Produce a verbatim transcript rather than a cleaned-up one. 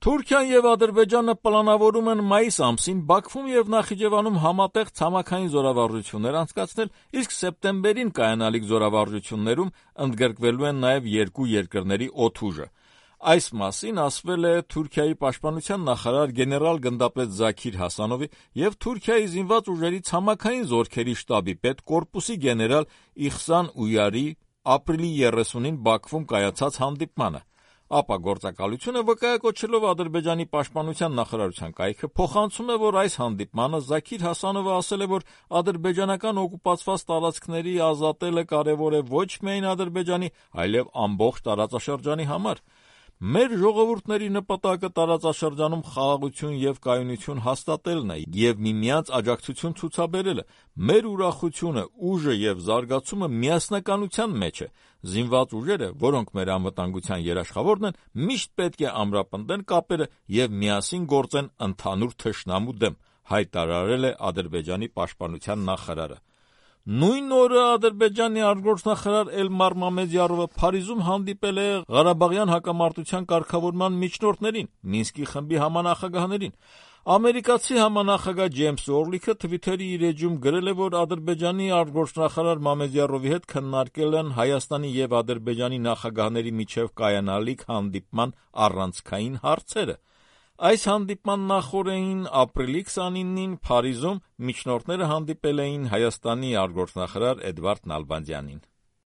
Թուրքիան եւ Ադրբեջանը պլանավորում են մայիս ամսին Բաքվում եւ Նախիջևանում համատեղ ցամաքային զորավարժություններ անցկացնել, իսկ սեպտեմբերին կայանալիք զորավարժություններում ընդգրկվելու են նաեւ երկու երկրների օդուժը։ Այս մասին ասվել է Թուրքիայի պաշտպանության նախարար գեներալ-գնդապետ Զաքիր Հասանովի եւ Թուրքիայի զինված ուժերի ցամաքային զորքերի շտաբի պետ կորպուսի գեներալ Իխսան Ույարի ապրիլի երեսունին Բաքվում կայացած հանդիպմանը։ Ապա գործակալությունը վկայակոչելով Ադրբեջանի պաշտպանության նախարարության կայքը փոխանցում է, որ այս հանդիպմանը Զաքիր Հասանովը ասել է, որ ադրբեջանական օկուպացված տարածքների ազատելը կարևոր է ոչ միայն Ադրբեջանի, այլև ամբողջ տարածաշրջանի համար։ Մեր ժողովուրդների նպատակը տարածաշրջանում խաղաղություն եւ կայունություն հաստատելն է եւ միմյանց աջակցություն ցուցաբերելը։ Մեր ուրախությունը, ուժը եւ զարգացումը միասնականության մեջ է։ Զինված ուժերը, որոնք մեր անվտանգության երաշխավորն են, միշտ պետք է ամրապնդեն կապերը եւ միասին գործեն ընդհանուր թշնամու դեմ, հայտարարել է Ադրբեջանի պաշտպանության նախարարը։ Նույն օրը Ադրբեջանի արտգործնախարար Էլմար Մամեդյարովը Փարիզում հանդիպել է Ղարաբաղյան հակամարտության կարգավորման միջնորդներին, Մինսկի խմբի համանախագահներին։ Ամերիկացի համանախագահ Ջեյմս Օրլիքը Թվիթերի իր էջում գրել է, որ Ադրբեջանի արտգործնախարար Մամեդյարովի հետ քննարկել են Հայաստանի եւ Ադրբեջանի նախագահների միջև կայանալիք հանդիպման առանցքային հարցերը։ Այս հանդիպման նախօրեին ապրիլի քսանինին Փարիզում միջնորդները հանդիպել էին Հայաստանի արտգործնախարար Էդվարդ Նալբանդյանին։